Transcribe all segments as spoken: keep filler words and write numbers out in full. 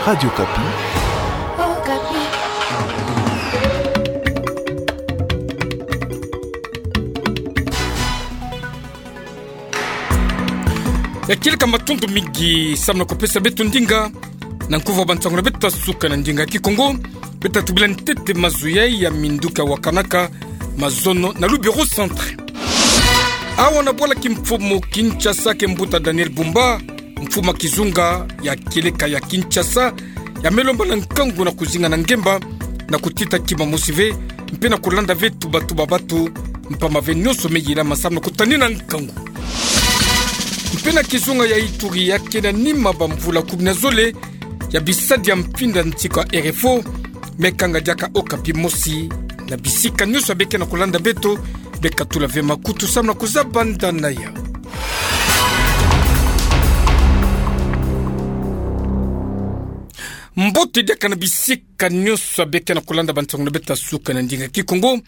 Radio Okapi. Ya kieleka matondo mingi samu na kupesa beto ndinga na nkuvu ya bansangu na beto ya suka na ndinga ya Kikongo. Beto tubila ntete mazono ya minduki ya wakanaka mazono na Lubero Centre. Awa na bwala kimfumu Kinshasa, ke mbuta Daniel Bumba, mfumu ya kizunga ya kieleka ya Kinshasa, ya me lomba na nkangu na kuzinga na ngemba na kutita kima mosi ve, mpe na kulanda ve tuba-tuba batu, mpamba ve nionso me yilama samu na kutanina nkangu. Mpe na kizunga ya Ituri, ya ke na nima bamvula kumi na zole ya bisadi ya mpinda nsiku ya R F O, me kanga diaka Okapi mosi na bisika nionso ya beke na kulanda beto, beka tula ve makutu samu na kuzaba ndana ya. Mbote diaka na bisika nionso ya beke na kulanda bansangu na beto ya suka na ndinga ya Kikongo.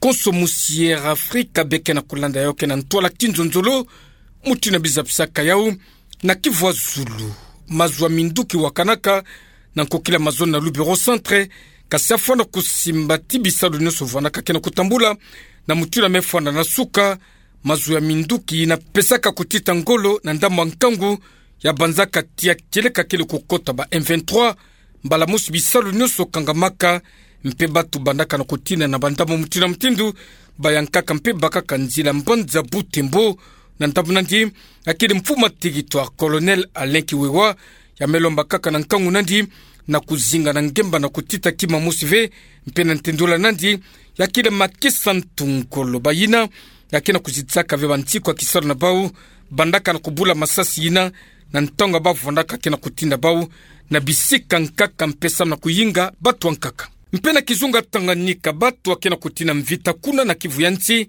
Konso musi Air Africa beke na kulanda yo, ke na ntwala kinzonzolo, mutindu bizabi saka yau na kivu ya zulu. Mazono ya minduki wakanaka na nkokila mazono na Lubero Centre, kasi afwana kusimba ti bisalu nionso vwanaka ke na kutambula na mutindu ya me fwana na suka. Mazono ya minduki yina pesaka kutita ngolo na ndambu ya nkangu ya banzaka tia kieleka kele kukota ba M vingt-trois, mbala mosi bisalu nionso kangamaka, mpe batu bandaka na kutina na bandambu mutindu na mutindu, bayankaka mpe bakaka nzila mbanza Butembo. Na ndambu nandi, ya kele mfumu ya territoire, Colonel Alain Kiwewa, ya me lomba kaka na nkangu nandi na kuzinga na ngemba na kutita kima mosi ve, mpe na ntendula nandi, ya kele makesa ntu ngolo bayina ya ke na kuzitisaka ve bansiku ya kisalu na bau, bandaka na kubula masasi yina na ntangu ya bavwandaka ke na kutinda bau na bisika nkaka mpe samu na kuyinga batu ya nkaka. Mpe na kizunga Tanganyika, batu ya ke na kutina mvita kuna na kivu ya nsi,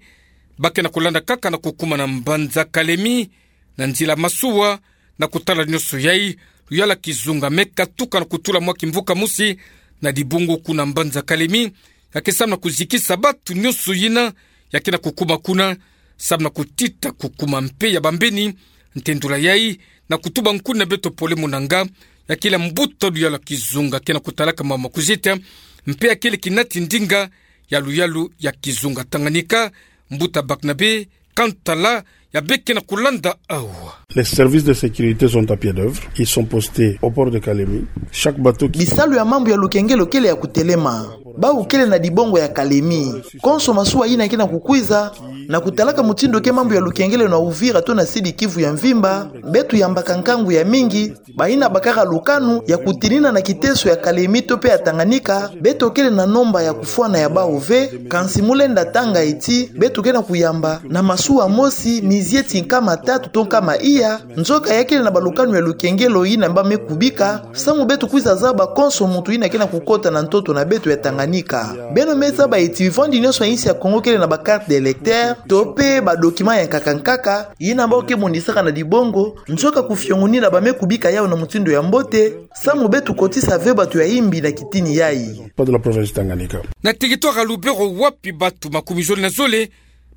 ba ke na kulanda kaka na kukuma na mbanza Kalemi na nzila masuwa. Na kutala nionso yai, luyala kizunga me katuka na kutula mwa kimvuka mosi na dibungu kuna mbanza Kalemi, ya ke samu na kuzikisa batu nionso yina ya ke na kukuma kuna, samu na kutita kukuma mpe ya bambeni. Ntendula yai, na kutuba nkuni na beto Pole Munanga, ya kele mbuta luyala kizunga ke na kutalaka mambu ma kuzita, mpe ya kele kinati ndinga ya luyalu ya kizunga Tanganyika, mbuta Barnabe Kantala, ya beke na kulanda awa. Les services de sécurité sont à pied d'œuvre. Ils sont postés au port de Kalemi. Chaque bateau qui... Bisalu ya mambu ya lukengelo kele ya kutelema. Bau kele na dibongo ya Kalemi. Konso masuwa yina ke na kukwiza, na kutalaka mutindu ke mambu ya lukengelo na Uvira to na Sidi Kivu ya mvimba, beto yambaka nkangu ya mingi, bayina bakaka lukanu ya kutinina na kiteso ya Kalemi to mpe ya Tanganyika, beto kele na nomba ya kufwana ya bau ve, kansi mu lenda tanga ti beto ke na kuyamba na masuwa mosi mizieti nkama tatu to nkama iya, nzoka ya kele na balukanu ya lukengelo yina ba me kubika, samu beto kwiza zaba konso muntu yina ke na kukota na ntoto na beto ya Tanganyika. Beno me zaba ti bivwandi nionso ya insi ya Kongo kele na ba carte d'électeur, to mpe ba document ya nkaka nkaka, yina bau ke monisaka na dibongo, nzoka kufiongonina ba me kubika yau na mutindu ya mbote, samu beto kotisa ve batu ya imbi na kitini yai. Pas de la province Tanganyika. Na territoire ya Lubero, wapi batu makumi zole na zole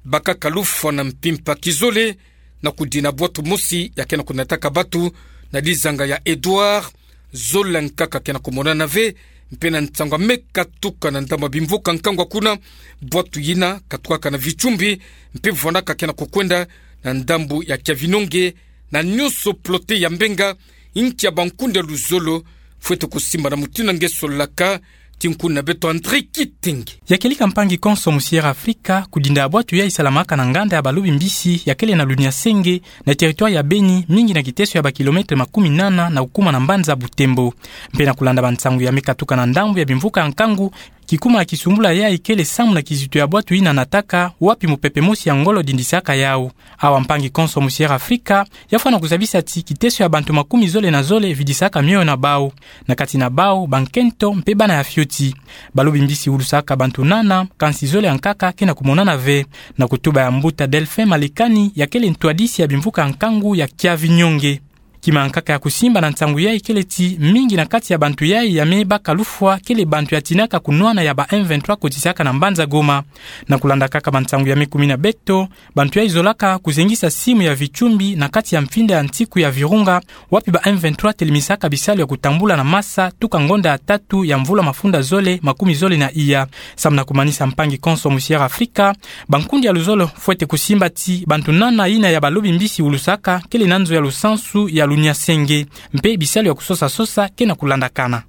bakaka lufwa na mpimpa kizole na kudina bwatu mosi ya ke na kunataka batu na dizanga ya Edouard, zole nkaka ke na kumonana ve, mpe na ntangu ya me katuka na ndambu ya bimvuka nkangu kuna, bwatu yina katukaka na vichumbi, mpe vwandaka ke na kukwenda na ndambu ya Kiavinonge, na nionso plote ya Mbenga, inki ya bankundi ya luzolo, fwete kusimba na mutindu nge solaka, ti nkuni na beto André Kitenge. Ya kieleka mpangi konso musi Air Africa, kudinda bwatu yai salamaka na nganda ya balobi mbisi ya kele na Luniasenge, na territoire ya Beni, mingi na kiteso ya ba kilomètre makumi nana na kukuma na mbanza Butembo. Mpe na kulanda bansangu ya me katuka na ndambu ya bimvuka nkangu, kikuma ya kisumbula yai kele samu na kizitu ya bwatu yina nataka, wapi mupepe mosi ya ngolo dindisaka yau. Awa mpangi konso musi Air Africa, ya fwana kuzabisa ti kiteso ya bantu makumi zole na zole vidisaka mioyo na bau. Na kati na bau, bankento mpe bana ya fioti. Balobi mbisi ulusaka bantu nana, kansi zole ya nkaka ke na kumonana ve. Na kutuba ya mbuta Delphin Malekani, ya kele ntwadisi ya bimvuka nkangu ya Kiavinonge. Kima nkaka ya kusimba na nsangu yai kele ti mingi na kati ya bantu yai ya me baka lufwa kele bantu ya tinaka kunwana ya ba M vingt-trois kotisaka na mbanza Goma. Na kulanda kaka bansangu ya me kumi na beto, bantu yai zolaka kuzengisa simu ya Vichumbi na kati ya mfinda ya nsiku ya Virunga, wapi ba M vingt-trois telemisaka bisalu ya kutambula na masa tuka ngonda ya tatu ya mvula mafunda zole makumi zole na iya. Samu na kumanisa mpangi konso mu Sierra Afrika, bankundi ya luzolo fwete kusimba ti bantu nana yina ya balobi mbisi ulusaka kele na nzo ya lusansu ya lunyasenge, mpe bisalu ya kusosa-sosa ke na kulandakana.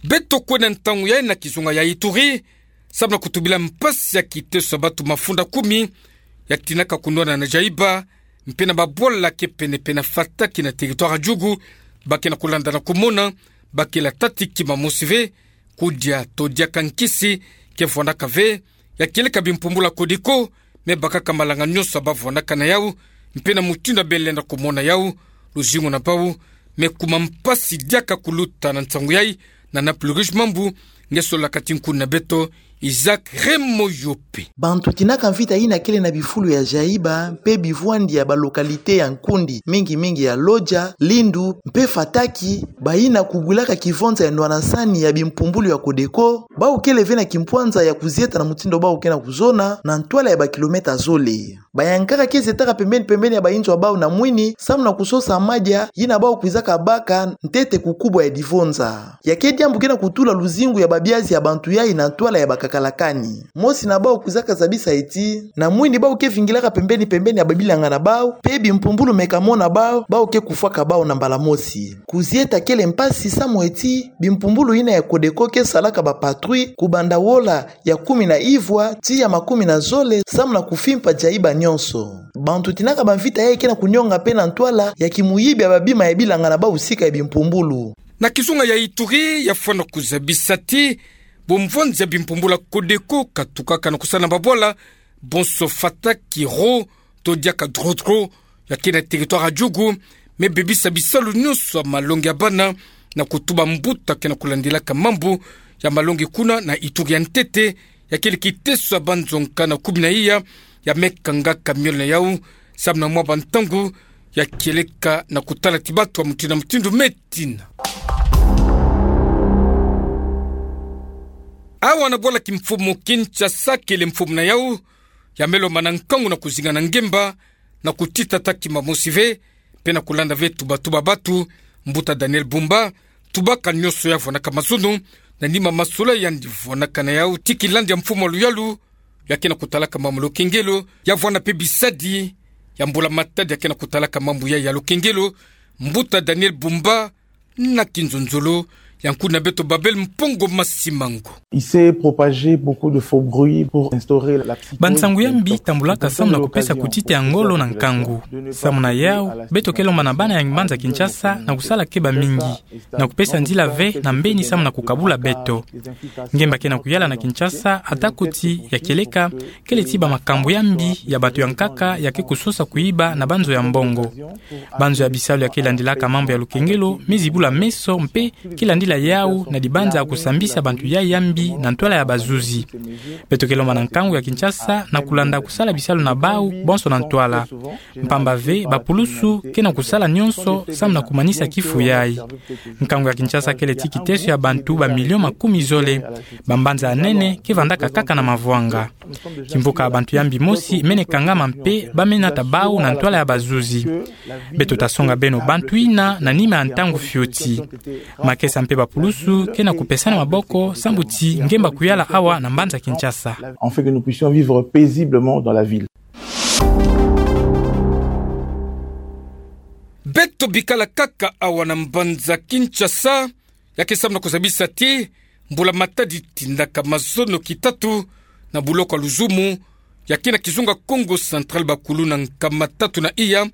Beto kwenda ntangu yai na kizunga ya Ituri, samu na kutubila mpasi ya kiteso ya bantu mafunda kumi ya tinaka kunwana na jaiba, mpe na babwala ke pene-pene na Fataki na territoire ya Djugu, ba ke na kulanda na kumona, ba ke la tati kima mosi ve, kudia to diaka nkisi ke vwandaka ve, ya kieleka bimpumbulu ya Codeco, me bakaka malanga nyonso ba vwandaka na yau, mpe na mutindu bele na kumona yau, luzingu na bau, me kuma mpasi diaka kuluta na nsangu yai, na Nord-Kivu Mambu, nge solaka ti nkuna beto, Isaac Remoyope. Bantu tinaka mvita yina kele na bifulu ya jaiba, mpe bivwandi ya ba localité ya nkundi, mingi-mingi ya Lodja, Lindu, mpe Fataki, bayina kubwilaka kivonza ya nwana nsani ya bimpumbulu ya Codeco, bau kele ve na kimpwanza ya kuzieta na mutindu bau ke na kuzona, na ntwala ya ba kilomètre zole. Bayankaka ke zietaka pembeni-pembeni ya bayinzo ya bau na mwini, samu na kusosa madia, yina bau kwizaka baka, ntete kukubwa ya divonza. Ya ke diambu ke na kutula luzingu ya babiazi ya bantu yai na ntwala ya bakakalakani. Mosi na bau kwizaka zabisa ye ti, na mwini bau ke vingilaka pembeni-pembeni ya babilanga na bau, mpe bimpumbulu me ka mona bau, bau ke kufwaka bau na mbala mosi. Kuzieta kele mpasi samu ye ti, bimpumbulu yina ya Codeco ke salaka ba patrouille, kubanda wola, ya kumi na ivwa, tii ya makumi na zole, samu na kufimpa jaiba nyonso. Bantu tinaka bamvita yai ke na kunyonga mpe na ntwala ya kimuyibi ya babima ya bilanga na bau sika ya bimpumbulu. Na kizunga ya Ituri, ya fwana kuzabisa ti, bumvonza ya bimpumbulu ya Codeco katukaka na kusala na babwala, bonso Fataki ro, to diaka dro-dro, ya ke na territoire ya Djugu, me bebisa bisalu nyonso ya malongi ya bana, na kutuba mbuta ke na kulandilaka mambu ya malongi kuna na Ituri ya ntete, ya kele kiteso ya banzo nkana kumi na iya, ya me kangaka miole na yau, samu na mwa bantangu, ya kieleka na kutala ti bantu ya mutindu na mutindu me tina. Awa na bwala kimfumu Kinshasa kele mfumu na yau, ya me lombana nkangu na kuzinga na ngemba, na kutita ta kima mosi ve, mpe na kulanda ve tuba-tuba bantu, mbuta Daniel Bumba, tubaka nyonso ya vwanaka mazono, na nima masolo yandi vwanaka na yau ti kilandi ya mfumu ya luyalu, ya ke na kutalaka mambu ya lukengelo, ya vwana mpe bisadi, ya mbula matadi ya ke na kutalaka mambu ya, ya lukengelo, mbuta Daniel Bumba, na kinzonzolo, ya nkuna beto Babel Mpongo Masimango. Il s'est propagé beaucoup de faux bruits pour instaurer la psychose. Bansangu ya mbi tambulaka samu na kupesa kutita ya ngolo na nkangu. Samu na yau, beto ke lomba na bana ya mbanza Kinshasa na kusala keba mingi, na kupesa nzila ve na mbeni samu na kukabula beto. Ngemba ke na kuyala na Kinshasa, ata kuti ya kieleka, kele ti ba makambu ya mbi ya bantu ya nkaka ya ke kusosa kuyiba na banzo ya mbongo. Banzo ya bisalu ya ke landilaka mambu ya lukengelo, me zibula meso mpe ke landila yau na dibanza ya kusambisa bantu yai ya mbi na ntwala ya bazuzi. Beto ke lomba na nkangu ya Kinshasa na kulanda kusala bisalu na bau, bonso na ntwala. Mpamba ve, bapulusu ke na kusala nyonso samu na kumanisa kifu yai. Nkangu ya Kinshasa kele ti kiteso ya bantu ba milio makumi zole. Bambanza ya nene ke vandaka kaka na mavwanga. Kimvuka ya bantu ya mbi mosi mene kangama mpe ba mena ta bau na ntwala ya bazuzi. Beto ta songa beno bantu yina na nima ya ntangu fioti. Makesa mpe bapulusu ke na kupesana maboko sambu ti ngemba kuyala awa na mbanza Kinshasa. Afin que nous puissions vivre paisiblement dans la ville. Beto bikala kaka awa na mbanza Kinshasa, ya ke samu na kuzabisa ti, mbula matadi tindaka mazono kitatu na buloko ya luzumu, ya ke na kizunga Kongo Central bakulu na nkama tatu na iya,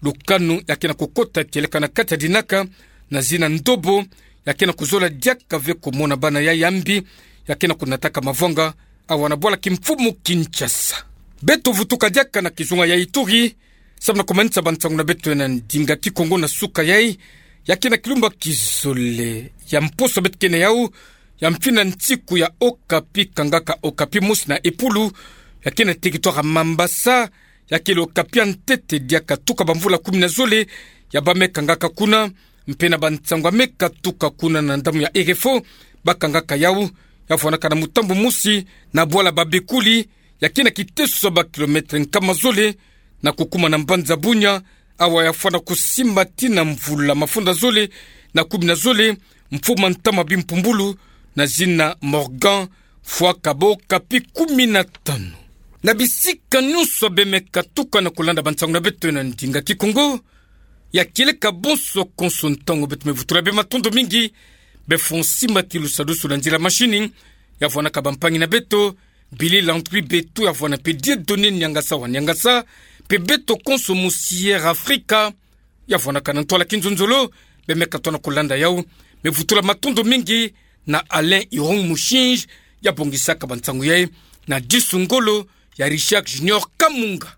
lukanu ya ke na kukota kieleka na kati ya dinaka, na zina ndobo, ya ke na kuzola diaka ve kumona bana yai ya mbi, ya ke na kunataka mavwanga, awa na bwala kimfumu Kinshasa. Beto vutuka diaka na kizunga ya Ituri, samu na kumanisa bansangu na beto ya na ndinga Kikongo na suka yai, ya ke na kilumbu kizole ya mposo beto ke na yau, ya mfina nsiku ya Okapi kangaka Okapi mosi na epulu, ya ke na territoire ya Mambasa, ya kele Okapi ya ntete diaka tuka bamvula kumi na zole, ya bamekangaka kuna, mpe na bansango ya mekatuka kuna na ndambu ya R F O, bakangaka yau, ya fwanaka na mutambu mosi, na bwala Babekuli, ya kina kiteso ba kilomètre nkama zole, na kukuma na mbanza Bunia, awa ya fwana kusimbati na mvula mafunda zole, na kumi na zole, mfuma ntama bimpumbulu, na zina Morgan Fwakabo Kapi kumi na tanu. Na bisika nyonso bemekatuka na kulanda bansango na beto na ndinga Kikongo, ya kieleka bonso konso ntangu beto mevutula beno matondo mingi, befo nsimbati lusadusu na nzila mashini, ya fwanaka bampangi na beto, Billy Landry Beto ya fwana mpe Dieudonné Niangasa wa Niangasa, mpe beto konso mu Sierra Africa, ya fwanaka na ntwala kinzonzolo, bemekatona kulanda yau, mevutula matondo mingi na Alain Irung Mushinji, ya bongisaka bansango yayi, na disu ngolo ya Richard Junior Kamunga.